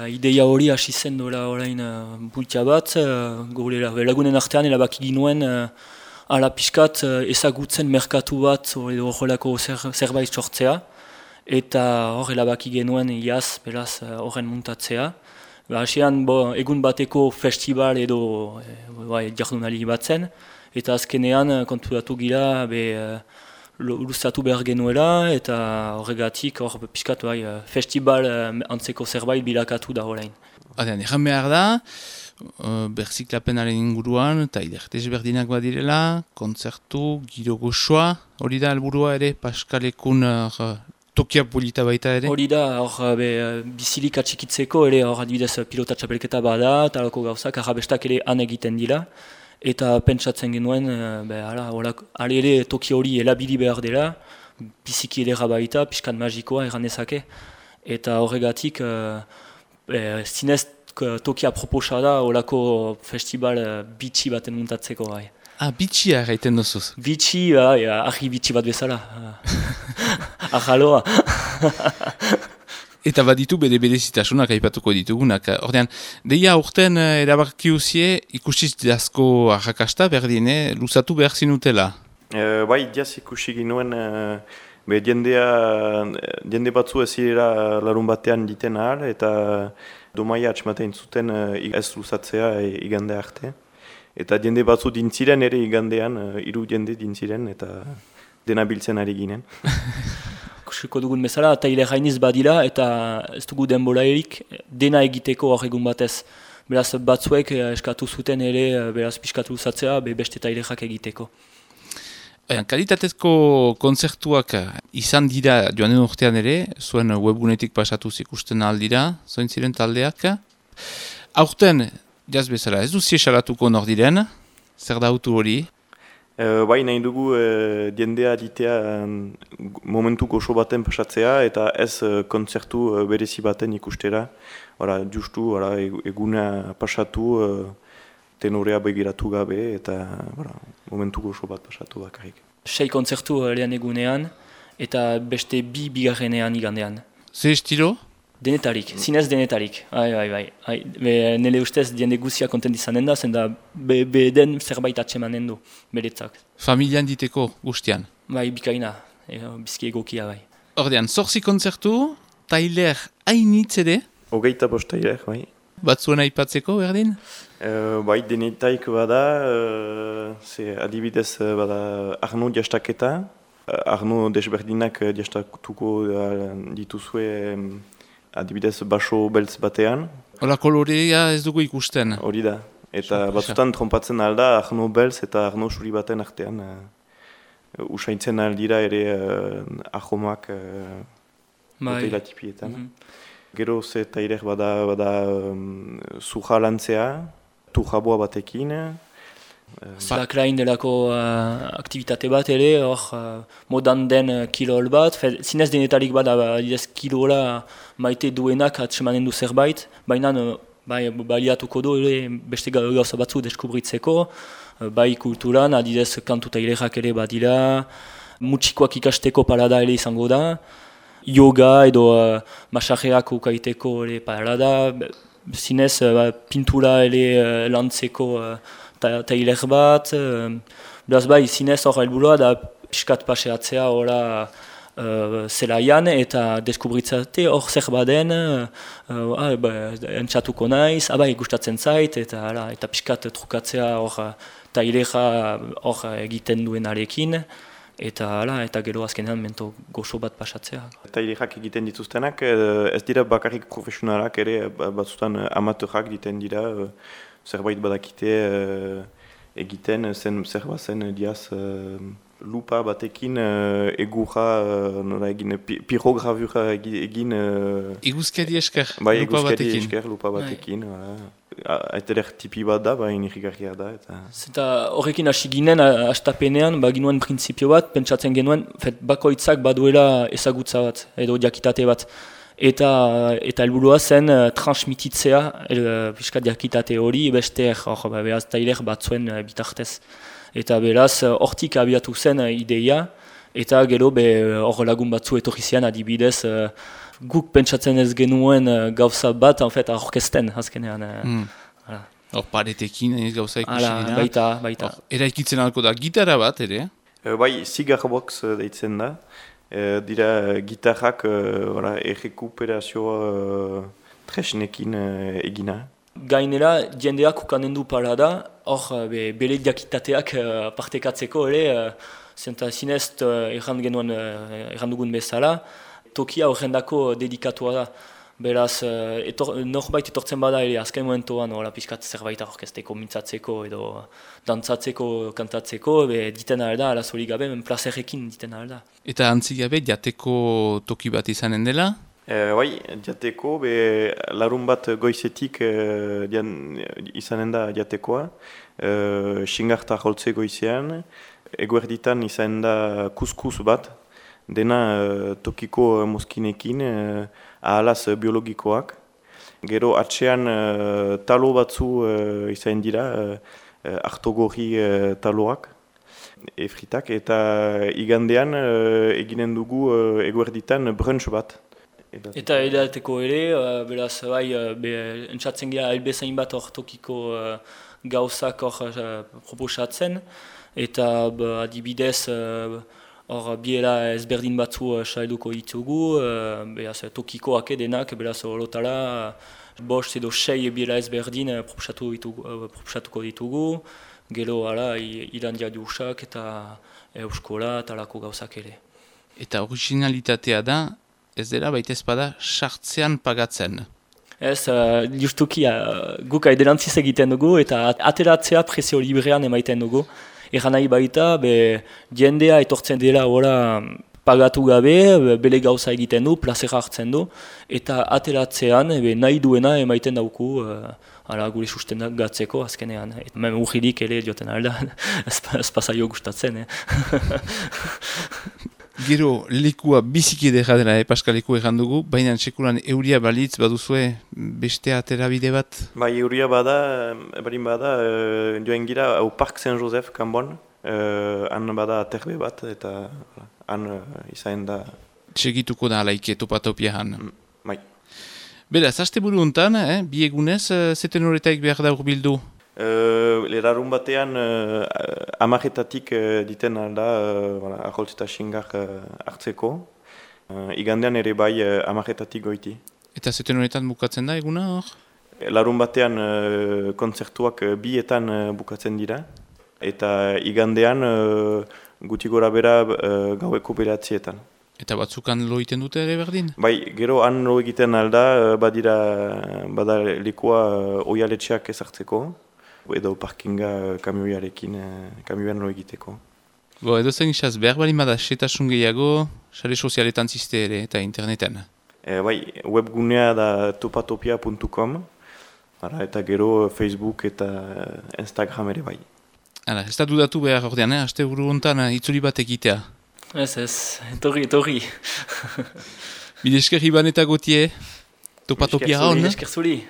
ideia hori hasi zen dola orain bultia bat, gure lagunen artean erabaki ginuen ala pixkat ezagutzen merkatu bat edo horrelako zerbait sortzea, eta hor erabaki genuen iaz, beraz horren muntatzea. Hasean egun bateko festival edo jardunaldi bat zen, eta azkenean konturatu gira luzatu behar genuela, eta horregatik hor pixkat festival antzeko zerbait bilakatu da horrein. Egan behar da, berziklapenaren inguruan, eta idertez berdinak badirela, kontzertu, giro goxoa, hori da helburua ere, Paskalekun tokia polita baita ere? Hori da, bizilik atxikitzeko ere, hor adibidez pilota txapelketa bada, talako gauzak, arrabestak ere han egiten dira, eta pentsatzen genuen, ere toki hori elabili behar dela, biziki edera baita, pixkan magikoa erranezake, eta horregatik, zinez tokia proposa da, horako festival bitxi baten muntatzeko. Bitxia gaiten duzuz? Bitxi, ahi bitxi bat bezala. Ahaloa. Eta baditu berezitasunak aipatuko ditugunak. Ordean, deia urten erabakiuzie ikusiz dazko arrakasta berdine, luzatu behar zinutela? Bai, diaz ikusi ginuen, jende batzu ez zirela larun batean diten ahal, eta domaia atxematein zuten ez luzatzea igande arte. Eta jende batzu dintziren ere igandean, 3 jende dintziren, eta dena biltzen ari ginen. Ikusiko dugun bezala, taile gainiz badira, eta ez dugu denboraerik dena egiteko hor egun batez. Beraz batzuek eskatu zuten ere, beraz pixkatu luzatzea, beste tailexak egiteko. Kalitatezko kontzertuak izan dira joan den urtean ere, zuen webgunetik pasatuz ikusten aldira, zoin ziren taldeak. Aurten, jaz bezala, ez duzie salatuko nor diren, zer da autu hori? Bai, nahi dugu jendea ditea momentu goxo baten pasatzea eta ez kontzertu berezi baten ikustera. Justu eguna pasatu, tenorea begiratu gabe eta momentu goxo bat pasatu bakarrik. 6 kontzertu lehen egunean eta beste 2 bigarrenean igandean. Ze estilo? Denetarik, zinez denetarik. Nire ustez jende guzia kontent izanen da, zenda den zerbait atsemanen du, beretzak. Familian diteko guztian? Bai, bikaina, bizki egokia bai. Ordean, 8 kontzertu, tailer hainitz ere? 25 tailer, bai. Batzuen aipatzeko, berdin? Bai, denetaik bada, adibidez bada Arno jastaketa. Arno desberdinak jastatuko dituzue adibidez baso beltz batean. Hola kolorea ez dugu ikusten. Hori da. Eta batzutan trompatzen alda Arno beltz eta Arno suri baten artean. Usaintzen aldira ere ahomak hotela tipietan. Gero ze tailer bada zuja lantzea, tujaboa batekin. Slackline delako aktivitate bat ere, hor modan den kilol bat, zinez denetarik bat kilola maite duenak atsemanen du zerbait, baina baliatuko du beste gauza batzu deskubritzeko, bai kulturan, adidez kantu tailerak ere badira, mutxikoak ikasteko parada ere izango da, yoga edo masajeak ukaiteko ere parada, zinez pintura ere lantzeko tailer bat, beraz bai, zinez hor helburua da piskat paseatzea hori zelaian eta deskubritzate hor zer baden, entzatuko naiz, gustatzen zait, eta piskat trukatzea hor tailera hor egiten duenarekin, eta gero azkenean mento goxo bat pasatzea. Tailerak egiten dituztenak, ez dira bakarrik profesionalak ere, batzutan amateurak egiten dira, zerbait badakite egiten, zer bazen diaz lupa batekin egurra egin, pirogravura egin... Iguzkari esker, lupa batekin. Bai, iguzkari esker, lupa batekin. Aiteler tipi bat da, baina irrigarria da. Zeta horrekin hasi ginen, hastapenean, ginuen printzipio bat, pentsatzen genuen, bakoitzak baduela ezagutza bat, edo diakitate bat. Eta helburua zen transmititzea piskat diakitate hori beste beraz tailer batzuen bitartez. Eta beraz hortik abiatu zen ideia, eta gero hor lagun batzu etorri zian adibidez guk pentsatzen ez genuen gauza bat, en fait, aurkezten, azkenean. Hor paretekin gauza ikusi dira. Baita. Eraikitzen alko da gitara bat, ere? Bai, cigarbox deitzen da. Dira gitarrak errekuperazio tresnekin egina. Gainera, jendeak ukanen du parada, hor bere diakitateak partekatzeko ere, zinez erran dugun bezala, tokia horrendako dedikatua da. Beraz, norbait etortzen bada ere azken momentuan pixkat zerbait orkesteko, mintzatzeko edo dantzatzeko, kantatzeko, diten alda, alazori gabe, plazerrekin diten alda. Eta antzi gabe, jateko toki bat izanen dela? Bai, jateko, larun bat goizetik izanen da jatekoa, xingarta holtze goizean, eguerditan izanen da kuskus bat, dena tokiko mozkinekin, ahalaz biologikoak. Gero atxean talo batzu izanen dira, artogorri taloak, efritak, eta igandean eginen dugu eguerditan brunch bat. Eta edateko ere, beraz, entzatzen gira elbezain bat hor tokiko gauzak hor proposatzen, eta adibidez hor biela ezberdin batzu salduko ditugu, beraz tokikoak edenak, beraz horotara bost edo 6 biela ezberdin proposatuko ditugu, gero irandia diusak eta euskola eta lako gauzak ere. Eta originalitatea da, ez dela baita ezpada sartzean pagatzen. Ez, justuki guk aiderantziz egiten dugu eta ateratzea prezio librean emaiten dugu. Egan nahi baita, jendea etortzen dela pagatu gabe, bele gauza egiten du, plazera hartzen du, eta ateratzean nahi duena emaiten dauku gure sustenak gatzeko azkenean. Hemen urridik ere dioten alda, ez pasaio gustatzen. Gero, lekua biziki edera dela, Paskaleko egan dugu, baina sekulan euria balitz baduzue beste aterabide bat? Bai, euria bada, joen gira au Park Saint-Joseph kanbon, han bada aterbe bat, eta han izain da... Txegituko da alaike topatopia han. Bai. Beraz, aste buru hontan, bi egunez, zeten horretaik behar da urbildu? Lerarun batean amaretatik diten alda aholtz eta xingar hartzeko. Igandean ere bai amaretatik goiti. Eta zeten horretan bukatzen da eguna hor? Larun batean kontzertuak bietan bukatzen dira. Eta igandean guti gora bera gaueko beratzietan. Eta batzukan lo egiten dute ere berdin? Bai, gero han lo egiten alda bada lekua oialetxeak ezartzeko. Edo parkinga kamioan lo egiteko. Edo zen isaz, behar bali bada setasun gehiago, sare sozialetan ziste ere eta interneten? Bai, webgunea da topatopia.com, eta gero Facebook eta Instagram ere bai. Ez da dudatu behar ordean, aste buru hontan itzuli bat egitea? Ez, etorri. Bide esker Iban eta Gotie, Topatopia hon? Bide esker zuli.